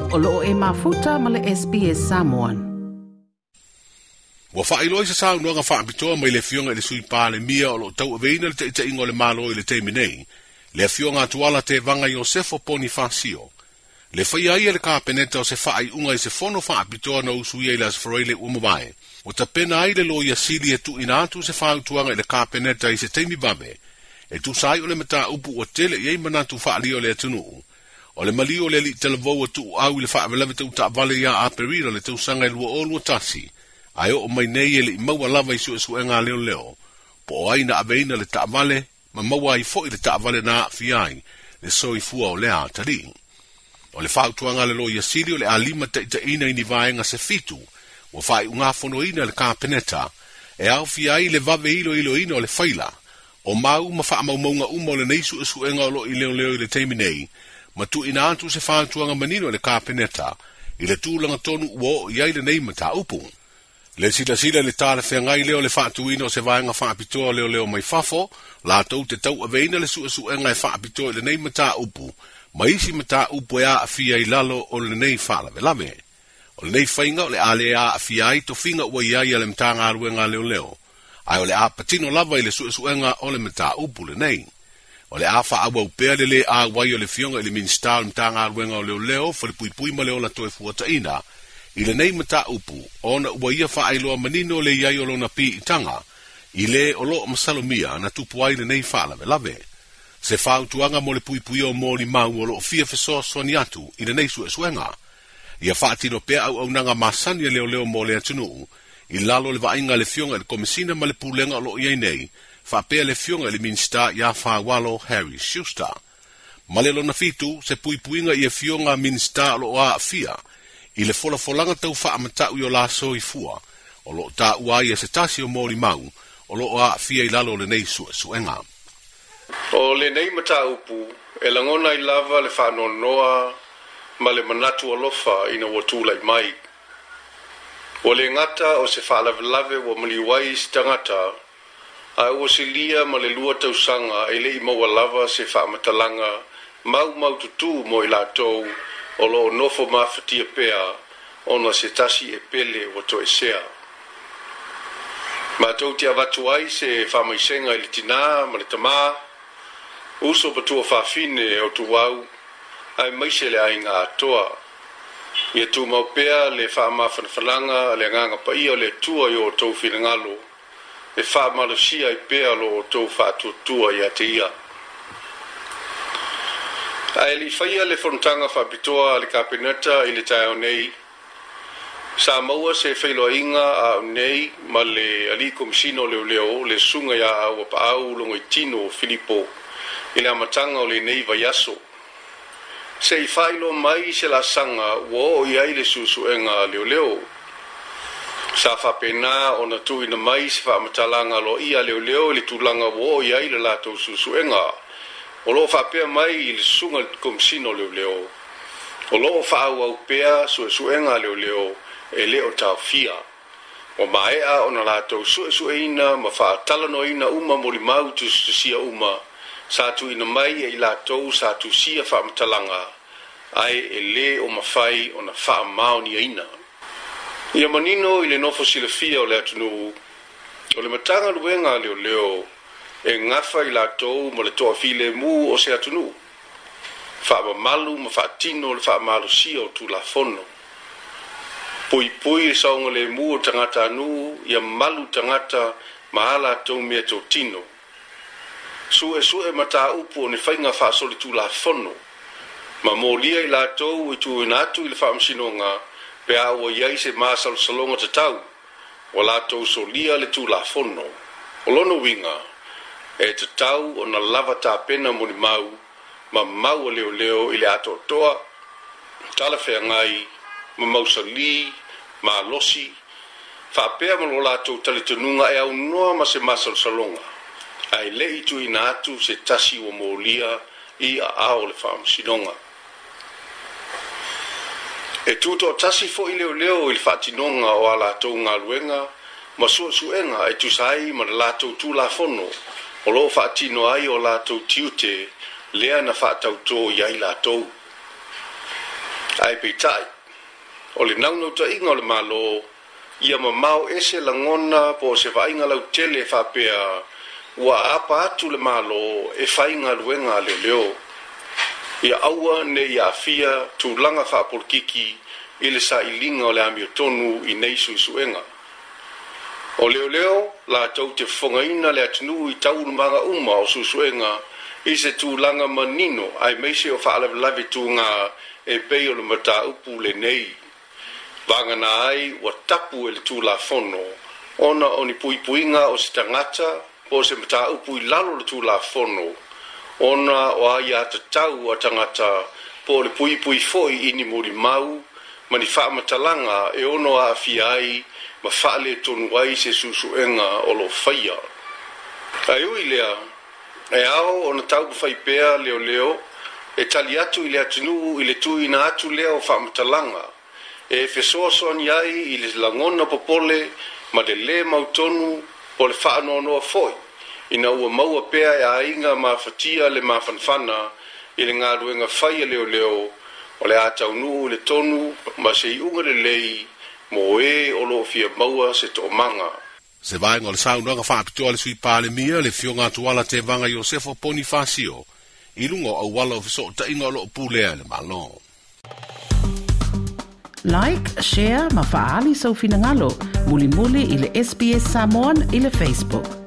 O loo e mafuta ma le SBS Samoan. Ua faailoa i se saunoaga faapitoa mai le Afioga i le Sui Palemia o lo o tauaveina le taitaiga o le Malo i le taimi nei, le Afioga a Tuala Tevaga Iosefo Ponifasio, le faia ai e le Kapeneta o se faaiuga i se fono faapitoa na usuia i le Aso Faraile ua mavae, ua tapena ai le Loia Sili e tuuina atu se fautuaga i le Kapeneta i se taimi vave, e tusa ai o le mataupu ua tele i ai manatu faaalia o le atunuu, o le maliu o le alii talavou ua tuuau i le faalavelave tau taavale ia Aperila le tausaga e 2021, ae oo mai nei e le i maua lava i suesuega a leoleo, po o ai na aveina le taavale ma maua ai foi le taavale na aafia ai le soifua o lea atalii. O le fautuaga a le Loia Sili o le a limataitaiina i ni vaega se fitu ua faaiugafonoina e le Kapeneta e aofia ai le vave iloiloina o le faila, o mau ma faamaumauga uma o lenei suesuega o lo o i leoleo i le taimi nei, ma tuuina atu se fautuaga manino e le Kapeneta i le tulaga tonu ua oo i ai lenei mataupu. Le silasila i le talafeagai lea o le faatuina o se vaega faapitoa o leoleo mai fafo, latou te tauaveina le suesuega e faapitoa i lenei mataupu ma isi mataupu e aafia i lalo o lenei faalavelave. O lenei faiga o le a le aafia ai tofiga ua i ai a le Matagaluega a Leoleo, ae o le a patino lava i le suesuega o le mataupu lenei. O le a faaauau pea le lē auai o le Afioga i le Minisita o le Matagaluega o Leoleo, Falepuipui ma le Ola Toefuataiga i lenei mataupu ona ua ia faailoa manino le i ai o lona piitaga i le o lo o masalomia na tupu ai lenei faalavelave. Se fautuaga mo le puipuia o molimau o lo o fia fesoasoani atu i lenei suesuega. Ia faatino pea auaunaga masani a leoleo mo le atunuu i lalo o le vaaiga a le Afioga i le Komesina ma le Pulega o lo o i ai nei, faapea le Afioga i le Minisita ia Faualo Harry Schuster. Ma le lona fitu, se puipuiga i afioga a Minisita o lo o aafia i le folafolaga tau faamatau i o la soifua o lo o taua ai e se tasi o molimau o lo o aafia i lalo o lenei suesuega. O lenei mataupu e lagona ai lava le faanoanoa ma le manatu alofa ina ua tulai mai. Ua le gata o se faalavelave ua maliu ai se tagata, ae ua silia ma le 2 tausaga e le i maua lava se faamatalaga maumaututu mo i latou o lo o nofo mafatia pea ona se tasi e pele ua toesea. Matou te avatu ai se faamaisega i le tinā ma le tamā, uso ma tuafafine o Tuau, aemaise le aiga atoa. Ia tumau pea le faamafanafanaga a le Agaga Paia o le Atua i o outou finagalo, e faamalosia ai pea lo outou faatuatua ia te Ia. Ae le i faia le fonotaga faapitoa a le Kapeneta i le taeao nei, sa maua se feiloaiga a au nei ma le Alii Komesina o Leoleo, le Susuga ia Auapaau Logoitino Filipo i le amataga o lenei vaiaso. Se i faailoa mai se laasaga ua oo i ai le suesuega a leoleo. Sa faapena ona tuuina mai se faamatalaga aloaia a leoleo i le tulaga ua oo i ai le latou suesuega. O lo o faapea mai i le Susuga i le Komesina o Leoleo, o lo o faaauau pea suesuega a leoleo e le o taofia. Ua maea ona latou suesueina ma faatalanoaina uma molimau tusitusia uma sa tuuina mai e i latou sa tusia faamatalaga, ae e lē o mafai ona faamaoniaina. Ia manino i le nofo silafia o le atunuu, o le Matagaluega a Leoleo e gafa i latou ma le toafilemu o se atunuu, faamamalu ma faatino le faamalosia o Tulafono. Puipui le saogalemu o tagatanuu ia malu tagata ma a latou meatotino. Suesue mataupu o ni faiga faasolitulafono ma molia i latou i tuuina atu i le Faamasinoga pe a ua i ai se masalosaloga tatau ua latou solia le Tulafono. O lona uiga, e tatau ona lava tapena molimau ma mau a leoleo i le atoatoa, talafeagai ma mausali, malosi, faapea ma lo latou talitonuga e aunoa ma se masalosaloga, ae le i tuuina atu se tasi ua molia i aao o le Faamasinoga. E tutoatasi foi leoleo i le faatinoga o a latou galuega ma suesuega e tusa ai ma le latou Tulafono o lo o faatino ai o latou tiute lea na faatautō i ai latou. Ae peitai, o le naunautaiga o le Malo, ia mamao ese lagona po o se vaaiga lautele faapea ua aapa atu le Malo e fai galuega a leoleo. Ia aua ne i aafia tulaga faapolokiki i le sailiga o le amiotonu i nei suesuega. O leoleo latou te fofogaina le atunuu i taualumaga uma o suesuega i se tulaga manino aemaise o faalavelave tuga e pei o le mataupu lenei. Vagana ai ua tapu e le Tulafono ona o ni puipuiga o se tagata po o se mataupu i lalo o le Tulafono ona o aiatatau a tagata po o le puipui foi i ni molimau ma ni faamatalaga e ono aafia ai ma faaletonu ai se suesuega o lo o faia. Ae ui i lea, e ao ona taumafai pea leoleo e tali atu i le atunuu i le tuuina atu lea o faamatalaga e fesoasoani ai i le lagona popole ma le lē mautonu po o le faanoanoa foi ina ua maua pea e aiga mafatia le mafanafana i le galuega fai a leoleo o le a taunuu i le tonu ma se iuga lelei mo e o lo o fia maua se toomaga. Se vaega o le saunoaga faapitoa a le Sui Palemia, le Afioga Tuala Tevaga Iosefo Ponifasio, i luga o auala o fesootaiga o lo o pulea e le Malo. Like, share ma faaali sou finagalo mulimuli i le SBS Samoan i le Facebook.